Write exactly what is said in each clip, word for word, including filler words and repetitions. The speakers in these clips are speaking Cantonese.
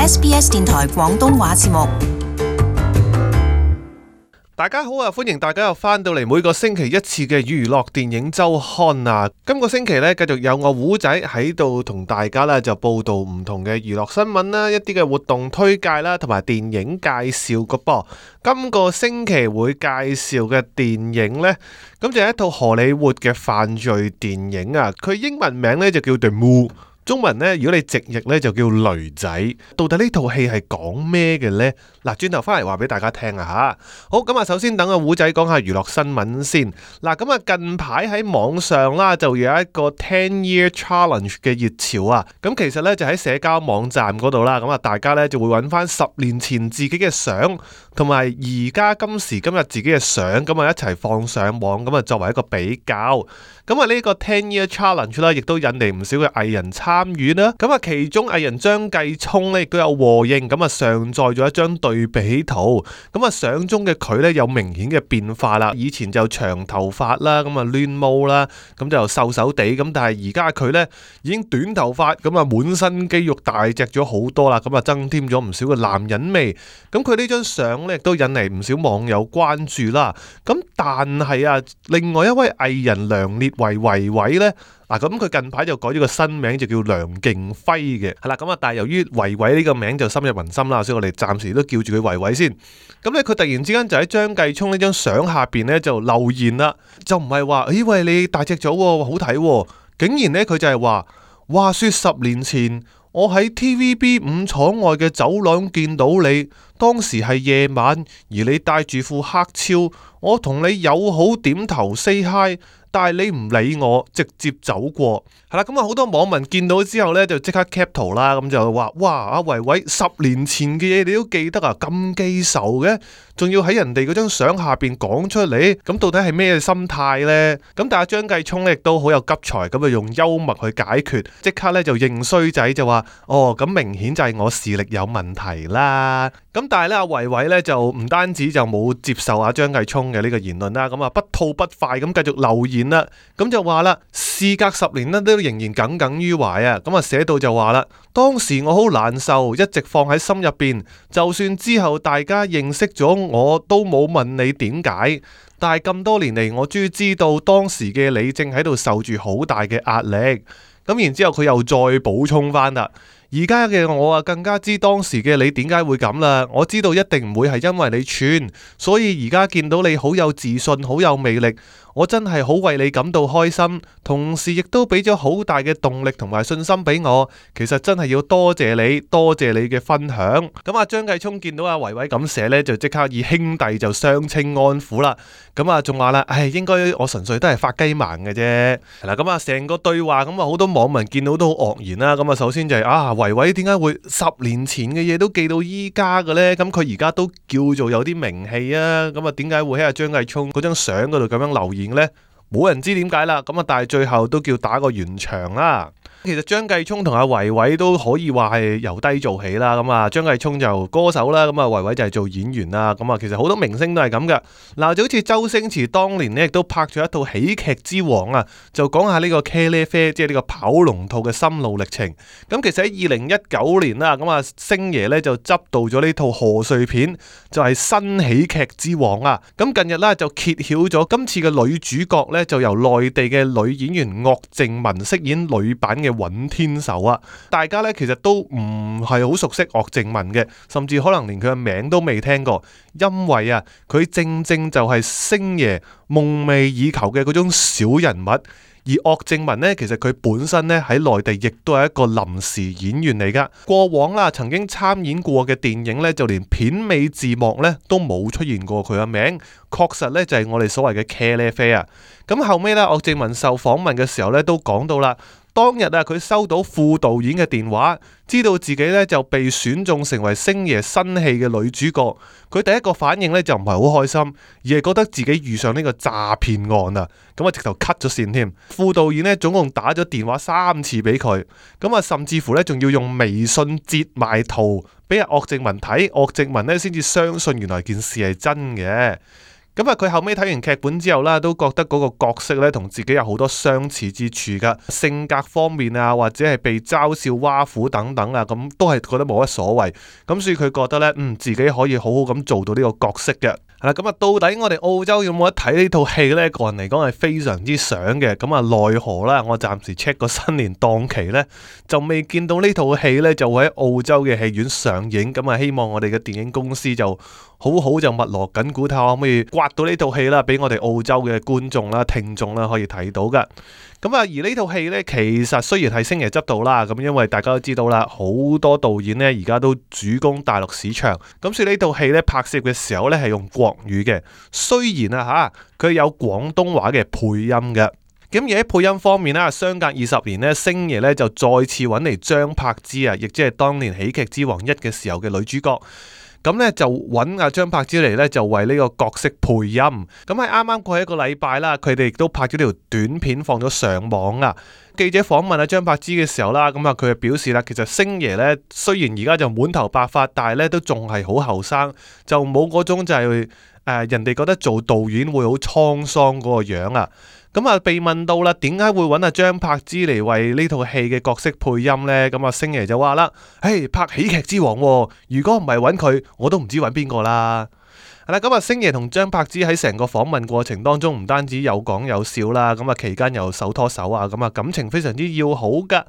S B S 電台廣東話節目。大家好啊，歡迎大家又翻到嚟每個星期一次嘅娛樂電影週刊啊！今個星期呢，繼續有我胡仔喺度同大家呢就報道唔同嘅娛樂新聞啦，一啲嘅活動推介啦，同埋電影介紹個噃。今個星期會介紹嘅電影呢，咁就係一套荷里活嘅犯罪電影啊！佢英文名呢就叫 The Mule。中文呢，如果你直譯呢，就叫驢仔。到底呢套戲係講咩嘅呢？嗱，轉頭翻嚟話俾大家聽啊吓。好，咁啊，首先等阿胡仔講下娛樂新聞先。嗱，咁啊，近排喺網上啦，就有一個 ten year challenge 嘅熱潮啊。咁其實呢，就喺社交網站嗰度啦。咁啊，大家呢，就會揾翻十年前自己嘅相，同埋而家今時今日自己嘅相，咁啊一齊放上網，咁啊作為一個比較。咁啊呢個 ten year challenge 啦，亦都引嚟唔少嘅藝人參與啦。咁啊其中藝人張繼聰咧亦都有和應，咁啊上載咗一張對比圖。咁啊相中嘅佢咧有明顯嘅變化啦，以前就長頭髮啦，咁啊亂毛啦，咁就瘦瘦地，咁但係而家佢咧已經短頭髮，咁啊滿身肌肉大隻咗好多啦，咁啊增添咗唔少嘅男人味。咁佢呢張相咧亦都引嚟唔少網友關注啦。咁但係啊，另外一位藝人梁烈為維維呢，嗱咁佢近排就改咗個新名，就叫梁勁輝嘅，係啦，咁啊，但係由於維維呢個名就深入民心啦，所以我哋暫時都叫住佢維維先。咁咧，佢突然之間就喺張繼聰呢張相下邊呢就留言啦，就唔係話，咦喂，你大隻咗，好睇，竟然呢，佢就係話，話說十年前我喺 T V B 五廠外嘅走廊見到你，當時係夜晚，而你戴住副黑超，我同你友好點頭 say hi。但係你唔理我，直接走過，係啦，咁啊好多網民見到之後呢，就即刻 cap 圖啦，咁就話：哇，阿維維十年前嘅嘢你都記得啊，咁記仇嘅，仲要喺人哋嗰張相下邊講出嚟，咁到底係咩心態呢？咁但係張繼聰呢亦都好有急才，咁啊用幽默去解決，即刻呢就認衰仔就話：哦，咁明顯就係我視力有問題啦。咁但係呢，阿維維呢就唔單止就冇接受阿張繼聰嘅呢個言論啦，咁啊不吐不快咁繼續留言啦，咁就話啦，事隔十年呢都仍然耿耿於懷啊，咁啊寫到就話啦，當時我好難受，一直放喺心入邊，就算之後大家認識咗我都冇問你點解，但係咁多年嚟我終於知道當時嘅你正喺度受住好大嘅壓力，咁然之後佢又再補充翻啦。而家嘅我啊，更加知當時嘅你點解會咁啦。我知道一定唔會係因為你串，所以而家見到你好有自信，好有魅力，我真係好為你感到開心。同時亦都俾咗好大嘅動力同埋信心俾我。其實真係要多謝你，多謝你嘅分享。咁啊，張繼聰見到阿維維咁寫呢，就即刻以兄弟就相稱安撫啦。咁啊，仲話啦，唉，應該我純粹都係發雞盲嘅啫。係啦，咁啊，成個對話咁啊，好多網民見到都好愕然啦。咁啊，首先就係、是、啊。維維點解會十年前嘅嘢都記到依家嘅呢？咁佢而家都叫做有啲名氣啊！咁啊，點解會喺阿張繼聰嗰張相嗰度咁樣留言呢？冇人知點解啦。咁啊，但係最後都叫打個圓場啦。其實張繼聰同阿維維都可以話係由低做起啦，咁啊張繼聰就歌手啦，咁啊維維就係做演員啦，咁啊其實好多明星都係咁噶。嗱，就好似周星馳當年呢亦都拍咗一套喜劇之王啊，就講下呢個茄喱啡，即係呢個跑龍套嘅心路歷程。咁其實喺二零一九年啦，咁啊星爺呢就執導咗呢套賀歲片，就係新喜劇之王啊。咁近日呢就揭曉咗今次嘅女主角呢，就由內地嘅女演員岳靜雯飾演女版嘅尹天仇啊，大家咧其實都唔係好熟悉岳靜雯嘅，甚至可能連佢嘅名都未聽過，因為啊，佢正正就係星爺夢寐以求嘅嗰種小人物。而岳靜雯呢，其實佢本身咧喺內地亦都係一個臨時演員嚟噶。過往啦，曾經參演過嘅電影咧，就連片尾字幕咧都冇出現過佢嘅名。確實咧就係我哋所謂嘅茄喱啡啊。咁後尾咧，岳靜雯受訪問嘅時候咧都講到啦。當日啊，佢收到副導演嘅電話，知道自己咧就被選中成為星爺新戲嘅女主角。佢第一個反應咧就唔係好開心，而係覺得自己遇上呢個詐騙案啊！咁啊，直頭 cut 咗線添。副導演咧總共打咗電話三次俾佢，咁啊，甚至乎咧仲要用微信截埋圖俾阿岳靜雯睇，岳靜雯咧先至相信原來件事係真嘅。咁啊，佢後尾睇完劇本之後啦，都覺得嗰個角色咧同自己有好多相似之處噶，性格方面啊，或者係被嘲笑挖苦等等啊，咁都係覺得冇乜所謂。咁所以佢覺得咧，嗯，自己可以好好咁做到呢個角色嘅。係啦，咁啊，到底我哋澳洲有冇得睇呢套戲呢？個人嚟講係非常之想嘅。咁啊，奈何啦，我暫時 check 個新年檔期呢，就未見到呢套戲呢就會喺澳洲嘅戲院上映。咁啊，希望我哋嘅電影公司就好好就密鑼緊鼓，睇下可唔可以刮到呢套戲啦，俾我哋澳洲嘅觀眾啦、聽眾啦可以睇到噶。咁啊，而呢套戲呢，其實雖然係星爺執導啦，咁因為大家都知道啦，好多導演呢而家都主攻大陸市場，咁所以呢套戲呢拍攝嘅時候呢係用國語嘅，雖然啊吓佢有廣東話嘅配音嘅。咁而喺配音方面啦，相隔二十年呢，星爺呢就再次揾嚟張柏芝啊，亦即係當年喜劇之王一嘅時候嘅女主角。咁咧就揾阿張柏芝嚟咧，就為呢個角色配音。咁喺啱啱過去一個禮拜啦，佢哋亦都拍咗條短片放咗上網啊。記者訪問阿張柏芝嘅時候啦，咁啊佢就表示啦，其實星爺咧雖然而家就滿頭白髮，但係咧都仲係好後生，就冇嗰種就係、是、誒、呃、人哋覺得做導演會好滄桑嗰個樣啊。咁啊，被問到啦，點解會揾阿張柏芝嚟為呢套戲嘅角色配音呢？咁啊，星爺就話啦：，誒，拍喜劇之王，如果唔係揾佢，我都唔知揾邊個啦。係啦，咁啊，星爺同張柏芝喺成個訪問過程當中，唔單止有講有笑啦，咁啊期間又手拖手啊，咁啊感情非常之要好噶。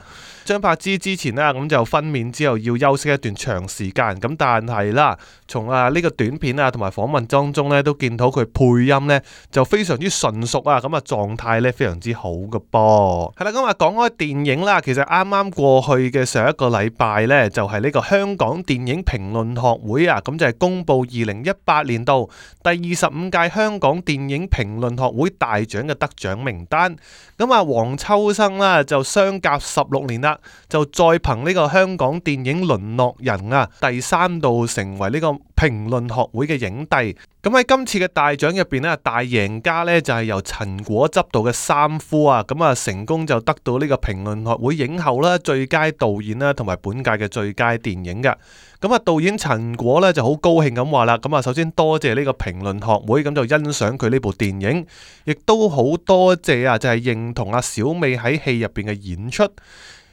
張柏芝之前啦，咁就分娩之後要休息一段長時間，咁但係啦，從啊呢個短片啊同埋訪問當中咧，都見到佢配音咧就非常之純熟啊，咁啊狀態咧非常之好噶噃。係啦，咁啊講開電影啦，其實啱啱過去嘅上一個禮拜咧，就係呢個香港電影評論學會啊，咁就係公布二零一八年度第二十五屆香港電影評論學會大獎嘅得獎名單。咁啊，黃秋生啦就相隔十六年啦，就再憑呢個香港電影淪落人啊，第三度成為呢個評論學會嘅影帝。咁喺今次嘅大獎入邊咧，大贏家咧就係由陳果執導嘅《三夫》啊，咁啊成功就得到呢個評論學會影后啦、最佳導演啦，同埋本屆嘅最佳電影嘅。咁啊，導演陳果咧就好高興咁話啦，咁啊首先多謝呢個評論學會，咁就欣賞佢呢部電影，亦都好多謝啊，就係認同阿小美喺戲入邊嘅演出。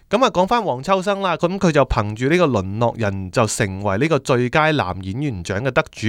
咁啊，講翻黃秋生啦，咁佢就憑住呢個淪落人就成為呢個最佳男演員獎嘅得主。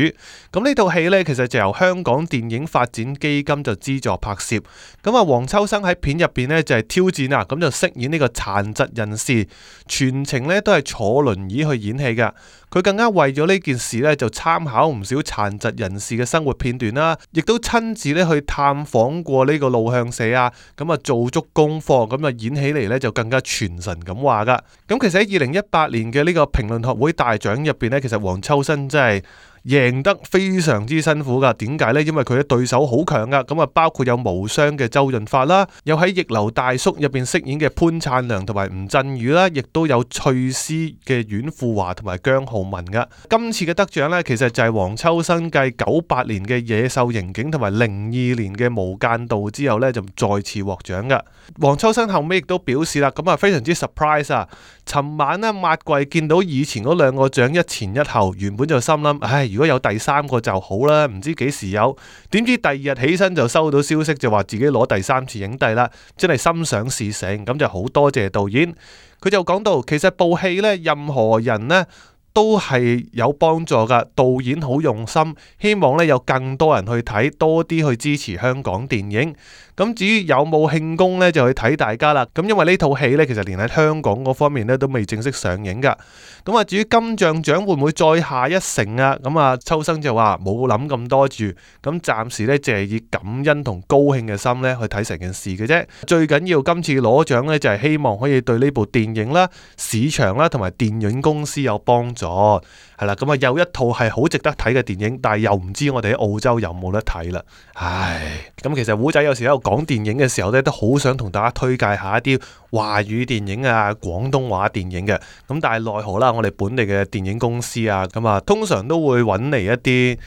咁呢套戲呢，其實就由香港電影發展基金就資助拍攝。咁啊，黃秋生喺片入邊呢，就係挑戰啊，咁就飾演呢個殘疾人士，全程呢都係坐輪椅去演戲㗎。佢更加為咗呢件事呢，就參考唔少殘疾人士嘅生活片段啦，亦都親自咧去探訪過呢個路向社啊，咁啊做足功課，咁啊演起嚟呢，就更加傳神咁話噶。咁其實喺二零一八年嘅呢個評論學會大獎入邊呢，其實黃秋生真係贏得非常之辛苦噶。點解呢？因為佢嘅對手好強噶，咁啊包括有無雙嘅周潤發啦，有喺逆流大叔入邊飾演嘅潘燦良同埋吳鎮宇啦，亦都有翠絲嘅阮富華同埋姜浩文噶。今次嘅得獎呢，其實就係黃秋生繼九八年嘅野獸刑警同埋零二年嘅無間道之後呢，就再次獲獎噶。黃秋生後尾亦都表示啦，咁啊非常之 surprise 啊！尋晚呢，抹櫃見到以前嗰兩個獎一前一後，原本就心諗，唉，如果有第三個就好啦，唔知幾時有。點知第二日起身就收到消息，就話自己攞第三次影帝啦，真係心想事成。咁就好多謝導演。佢就講到，其實部戲呢，任何人呢都係有幫助噶，導演好用心，希望咧有更多人去睇，多啲去支持香港電影。咁至於有冇慶功呢，就去睇大家啦。咁因為呢套戲呢，其實連喺香港嗰方面呢都未正式上映噶。咁啊，至於金像獎會唔會再下一城啊？咁啊，秋生就話冇諗咁多住，咁暫時呢，就係以感恩同高興嘅心呢去睇成件事嘅啫。最緊要今次攞獎呢，就係希望可以對呢部電影啦、市場啦同埋電影公司有幫助。係啦，咁啊有一套係好值得睇嘅電影，但係又唔知我哋喺澳洲有冇得睇啦。唉，咁其實胡仔有時喺度講電影嘅時候咧，都好想同大家推介下一啲華語電影啊、廣東話電影嘅。咁但係奈何啦，我哋本地嘅電影公司啊，咁啊通常都會揾嚟一啲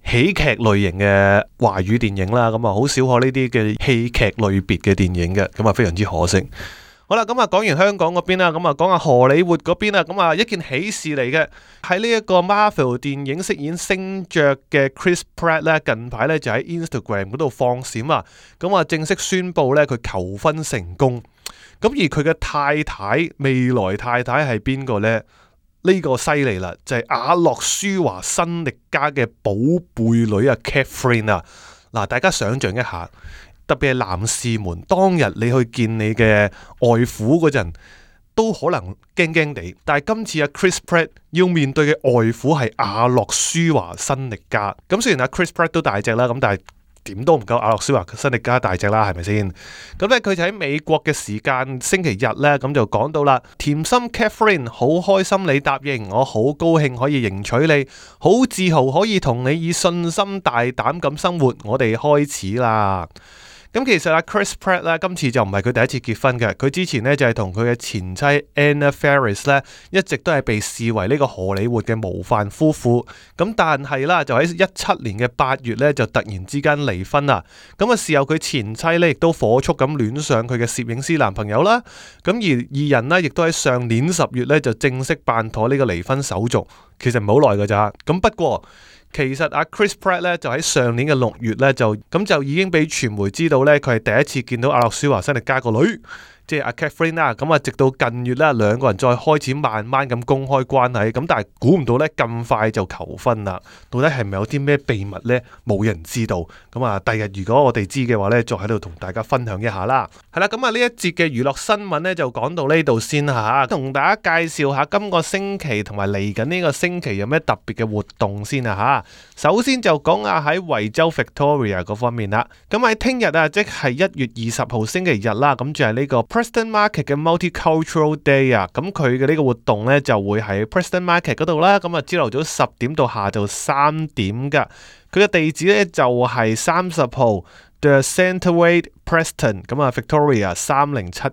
喜劇類型嘅華語電影啦，咁啊好少可呢啲嘅戲劇類別嘅電影嘅，咁啊非常之可惜。好啦，咁啊講完香港嗰邊啦，咁啊講下荷里活嗰邊啦，咁啊一件喜事嚟嘅，喺呢一個 Marvel 電影飾演星爵嘅 Chris Pratt 咧，近排咧就喺 Instagram 嗰度放閃啊，咁啊正式宣布咧佢求婚成功，咁而佢嘅太太未來太太係邊個呢？呢、呢個犀利啦，就係、是、阿諾舒華辛力加嘅寶貝女啊 Catherine 啊，嗱大家想象一下。特別係男士們，當日你去見你嘅外父嗰陣，都可能驚驚地。但係今次阿 Chris Pratt 要面對嘅外父係阿諾舒華辛力加。咁雖然阿 Chris Pratt 都大隻啦，咁但係點都唔夠阿諾舒華辛力加大隻啦，係咪先？咁咧佢就喺美國嘅時間星期日咧，咁就講到啦。甜心 Catherine 好開心你答應，我好高興可以迎娶你，好自豪可以同你以信心大膽咁生活。我哋開始啦。咁其實阿 Chris Pratt 咧，今次就唔係佢第一次結婚嘅，佢之前咧就係同佢嘅前妻 Anna Faris 咧，一直都係被視為呢個荷里活嘅模範夫婦。咁但係啦，就喺一七年嘅八月咧，就突然之間離婚啦。咁啊，事後佢前妻咧亦都火速咁戀上佢嘅攝影師男朋友啦。咁而二人呢，亦都喺上年十月咧就正式辦妥呢個離婚手續。其實唔係好耐㗎咋。咁不過，其實阿 Chris Pratt 咧就喺上年嘅六月咧就咁就已經俾傳媒知道咧，佢係第一次見到阿諾舒華辛力加個女，即係阿 Catherine 啦。咁啊，直到近月咧，兩個人再開始慢慢咁公開關係。咁但係估唔到咧，咁快就求婚啦。到底係咪有啲咩秘密咧？冇人知道。咁啊，第日如果我哋知嘅話咧，再喺度同大家分享一下啦。係啦，咁啊呢一節嘅娛樂新聞咧就講到呢度先吓，同大家介紹下今個星期同埋嚟緊呢個星期有咩特別嘅活動先啊吓。首先就講下喺維州 Victoria 嗰方面啦。咁喺聽日啊，即係一月二十號星期日啦，咁就係呢個 Preston Market 嘅 Multicultural Day 啊。咁佢嘅呢個活動咧就會喺 Preston Market 嗰度啦。咁啊朝頭早十點到下晝三點噶。佢嘅地址咧就係三十號 The Centerway Preston 咁啊 Victoria 三零七二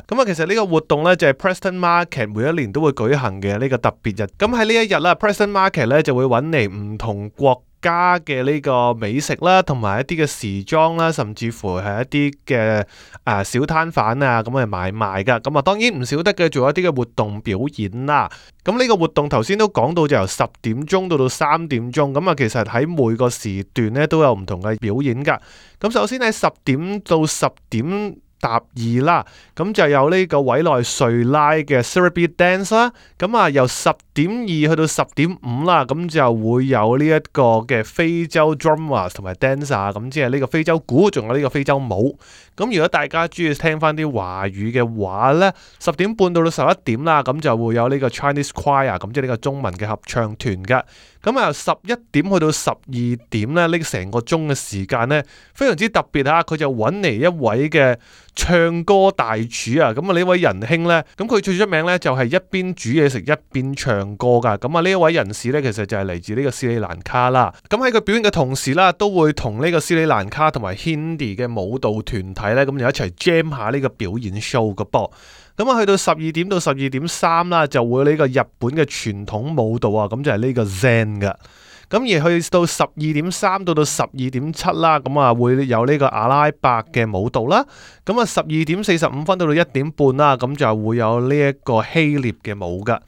噶。咁啊其實呢個活動咧就係 Preston Market 每一年都會舉行嘅呢個特別日。咁喺呢一日啦 Preston Market 咧就會揾嚟唔同國家嘅呢個美食啦，同埋一啲嘅時裝啦，甚至乎係一啲嘅啊小攤販啊咁去買賣噶。咁啊當然唔少得嘅，做一啲嘅活動表演啦。咁呢個活動頭先都講到，就由十點鐘到到三點鐘。咁啊其實喺每個時段咧都有唔同嘅表演噶。咁首先喺十點到十點搭二啦，咁就有呢個委內瑞拉嘅 Sarabi Dance 啦，咁啊由十點二去到十點五啦，咁就會有呢一個嘅非洲 Drummers 同埋 Dancer， 咁即係呢個非洲鼓，仲有呢個非洲舞。咁如果大家中意聽翻啲華語嘅話呢，十點半到到十一點啦，咁就會有呢個 Chinese Choir， 咁即係呢個中文嘅合唱團噶。咁啊由十一點去到十二點咧，呢成個鐘嘅時間呢，非常之特別吓，佢就揾嚟一位嘅唱歌大廚啊。咁啊呢位仁兄呢，咁佢最出名呢，就係一邊煮嘢食一邊唱歌噶。咁啊呢一位人士呢，其實就係嚟自呢個斯里蘭卡啦。咁喺佢表演嘅同時啦，都會同呢個斯里蘭卡同埋 Hindi 嘅舞蹈團體呢，咁就一齊 jam 下呢個表演 show 嘅噃。咁啊，去到十二點到十二點三啦，就會呢個日本嘅傳統舞蹈啊，咁就係呢個 Zen 噶。咁而去到十二點三到到十二點七啦，咁啊會有呢個阿拉伯嘅舞蹈啦。咁啊十二點四十五分到到一點半啦，咁就會有呢一個希臘嘅舞噶。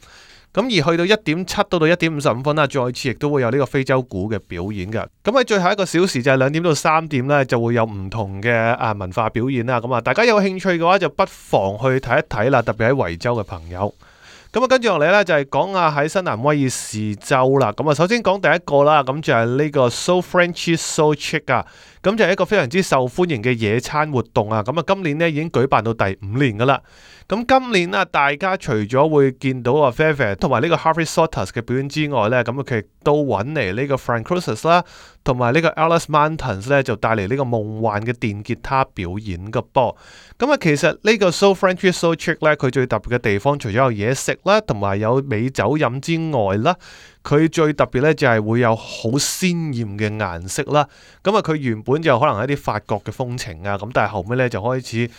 咁而去到一點七到到一點五十五分啦，再次亦都會有呢個非洲鼓嘅表演嘅。咁喺最後一個小時就係兩點到三點咧，就會有唔同嘅啊文化表演啦。咁啊，大家有興趣嘅話就不妨去睇一睇啦，特別喺維州嘅朋友。咁啊，跟住落嚟咧就係講下喺新南威爾士州啦。咁啊，首先講第一個啦，咁就係呢個 So Frenchy So Chic 啊。咁就係一個非常之受歡迎嘅野餐活動啊！咁啊，今年咧已經舉辦到第五年噶啦。咁今年啊，大家除咗會見到啊 Fairfax 同埋呢個 Harvey Salters 嘅表演之外咧，咁佢亦都揾嚟呢個 Frank Cruises 啦，同埋呢個 Alice Mountains 咧，就帶嚟呢個夢幻嘅電吉他表演嘅噃。咁啊，其實呢個 So Frenchy So Chic 咧，佢最特別嘅地方，除咗有嘢食啦，同埋有美酒飲之外啦，佢最特別咧就係會有好鮮豔嘅顏色啦。咁啊，佢原本就可能係一啲法國嘅風情啊，咁但係後尾咧就開始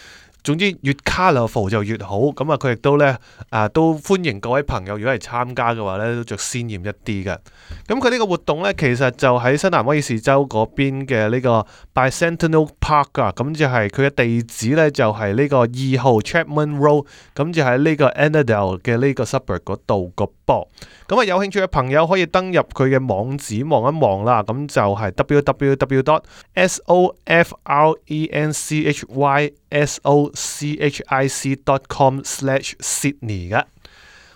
總之越 colourful 就越好。咁啊，佢亦都咧啊都歡迎各位朋友如果係參加嘅話咧，都着鮮豔一啲嘅。咁佢呢個活動咧，其實就喺新南威爾士州嗰邊嘅呢個 Bicentennial Park 啊，咁就係佢嘅地址咧就係呢個二號 Chapman Road，咁就喺呢個 Annandale 嘅呢個 suburb 嗰度個噃。咁啊，有興趣嘅朋友可以登入佢嘅網址望一望啦。咁就係 w w w dot sofrenchysochic dot com slash Sydney 嘅。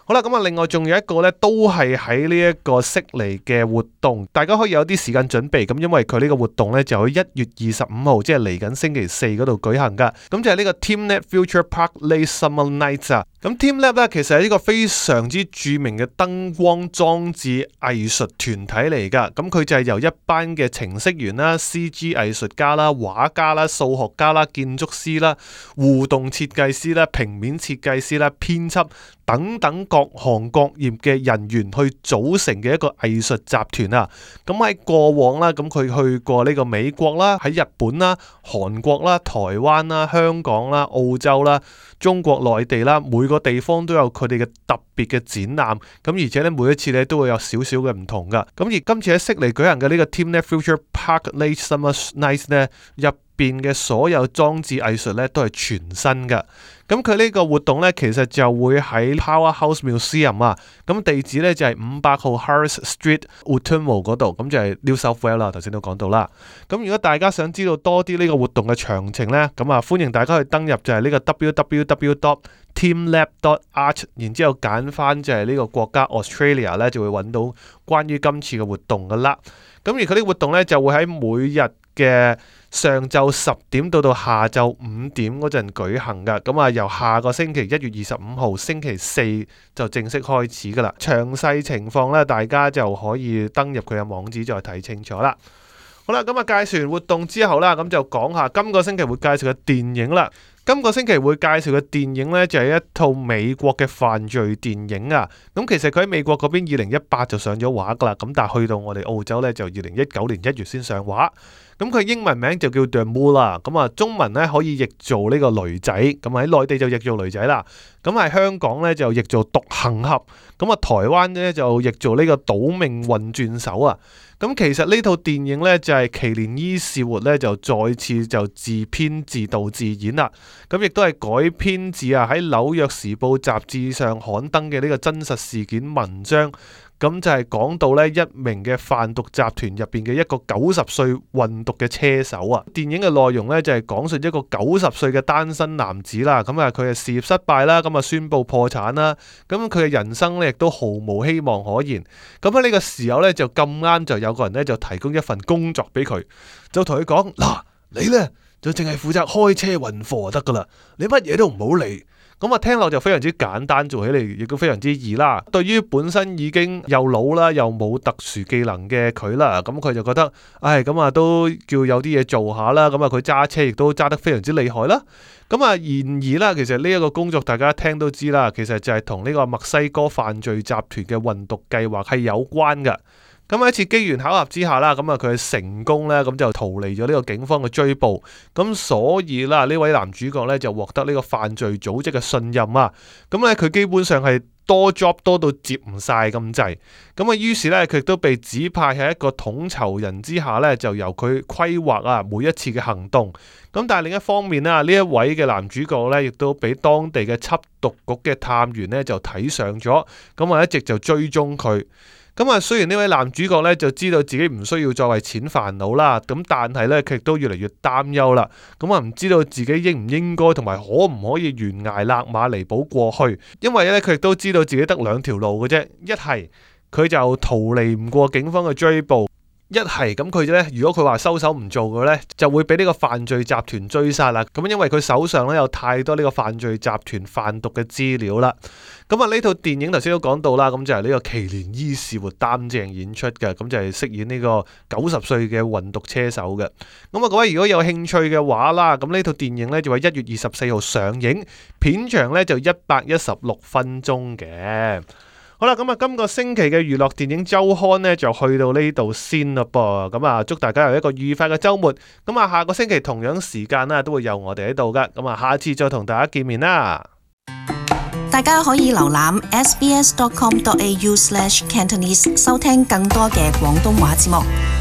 好啦，咁啊，另外仲有一個咧，都係喺呢一個悉尼嘅活動，大家可以有啲時間準備。咁因為佢呢個活動咧就喺一月二十五號，即係嚟緊星期四嗰度舉行噶。咁就係呢個 TeamLab Future Park Late Summer Nights 啊。咁 TeamLab 咧其實係一個非常之著名嘅燈光裝置藝術團體嚟噶。咁佢就係由一班嘅程式員啦、C G 藝術家啦、畫家啦、數學家啦、建築師啦、互動設計師啦、平面設計師啦、編輯等等各行各業嘅人員去組成嘅一個藝術集團啊！咁喺過往啦，咁佢去過呢個美國啦、喺日本啦、韓國啦、台灣啦、香港啦、澳洲啦、中國內地啦，每個地方都有佢哋嘅特別嘅展覽。咁而且咧，每一次咧都會有少少嘅唔同噶。咁而今次喺悉尼舉行嘅呢個 TeamLab Future Park Late Summer Nights 咧，入邊嘅所有裝置藝術咧都係全新噶。咁佢呢個活動咧，其實就會喺 Powerhouse Museum 啊，咁地址咧就係五百號 Harris Street Ottumwa 嗰度，咁就係 New South Wales 啦。頭先都講到啦。咁如果大家想知道多啲呢個活動嘅詳情咧，咁啊歡迎大家去登入就係呢個 w w w dot teamlab dot art， 然之後揀翻就係呢個國家 Australia 咧，就會揾到關於今次嘅活動噶啦。咁而佢呢個活動咧就會喺每日嘅上晝十點到到下晝五點嗰陣舉行噶，咁啊由下個星期一月二十五號星期四就正式開始噶啦。詳細情況咧，大家就可以登入佢嘅網址再睇清楚啦。好啦，咁啊介紹完活動之後啦，咁就講下今個星期會介紹嘅電影啦。今個星期會介紹嘅電影呢，就係一套美國嘅犯罪電影啊。咁其實佢喺美國嗰邊二零一八就上咗畫噶啦，咁但係去到我哋澳洲呢，就二零一九年一月先上畫。咁佢英文名就叫 The Mole 啦，咁啊中文咧可以譯做呢個驢仔，咁喺內地就譯做驢仔啦，咁喺香港咧就譯做獨行俠，咁啊台灣咧就譯做呢個賭命運轉手啊。咁其實呢套電影咧就係奇連伊士活咧就再次就自編自導自演啦，咁亦都係改編自啊喺紐約時報雜誌上刊登嘅呢個真實事件文章。咁就係講到咧一名嘅販毒集團入邊嘅一個九十歲運毒嘅車手啊。電影嘅內容咧就係講述一個九十歲嘅單身男子啦，咁啊佢嘅事業失敗啦，咁啊宣布破產啦，咁佢嘅人生咧亦都毫無希望可言。咁喺呢個時候咧就咁啱就有個人咧就提供一份工作俾佢，就同佢講嗱，你咧就淨係負責開車運貨就得噶啦，你乜嘢都唔好理。咁啊，聽落就非常之簡單，做起嚟亦都非常之易啦。對於本身已經又老啦，又冇特殊技能嘅佢啦，咁佢就覺得，唉，咁啊都叫有啲嘢做下啦。咁啊，佢揸車亦都揸得非常之厲害啦。咁啊，然而啦，其實呢一個工作大家聽都知啦，其實就係同呢個墨西哥犯罪集團嘅運毒計劃係有關㗎。咁喺一次機緣巧合之下啦，咁啊佢成功咧，咁就逃離咗呢個警方嘅追捕，咁所以啦呢位男主角咧就獲得呢個犯罪組織嘅信任啊，咁咧佢基本上係多 job 多到接唔晒咁滯，咁啊於是咧佢亦都被指派喺一個統籌人之下咧，就由佢規劃啊每一次嘅行動，咁但係另一方面啦，呢一位嘅男主角咧亦都俾當地嘅緝毒局嘅探員咧就睇上咗，咁啊一直就追蹤佢。咁啊，雖然呢位男主角咧就知道自己唔需要再為錢煩惱啦，咁但係咧佢亦都越嚟越擔憂啦。咁啊，唔知道自己應唔應該同埋可唔可以懸崖勒馬彌補過去，因為咧佢亦都知道自己得兩條路嘅啫，一係佢就逃離唔過警方嘅追捕。一係咁佢咧，如果佢話收手唔做嘅咧，就會俾呢個犯罪集團追殺啦。咁因為佢手上咧有太多呢個犯罪集團販毒嘅資料啦。咁啊呢套電影頭先都講到啦，咁就係呢個奇連伊士活擔正演出嘅，咁就係飾演呢個九十歲嘅運毒車手嘅。咁啊各位如果有興趣嘅話啦，咁呢套電影咧就喺一月二十四號上映，片長咧就一百一十六分鐘嘅。好啦，咁啊，今個星期嘅娛樂電影週刊呢，就去到呢度先啦噃。咁啊，祝大家有一個愉快嘅週末。咁啊，下個星期同樣時間啦，都會有我哋喺度噶。咁啊，下次再同大家見面啦。大家可以瀏覽 s b s dot com dot a u slash cantonese 收聽更多嘅廣東話節目。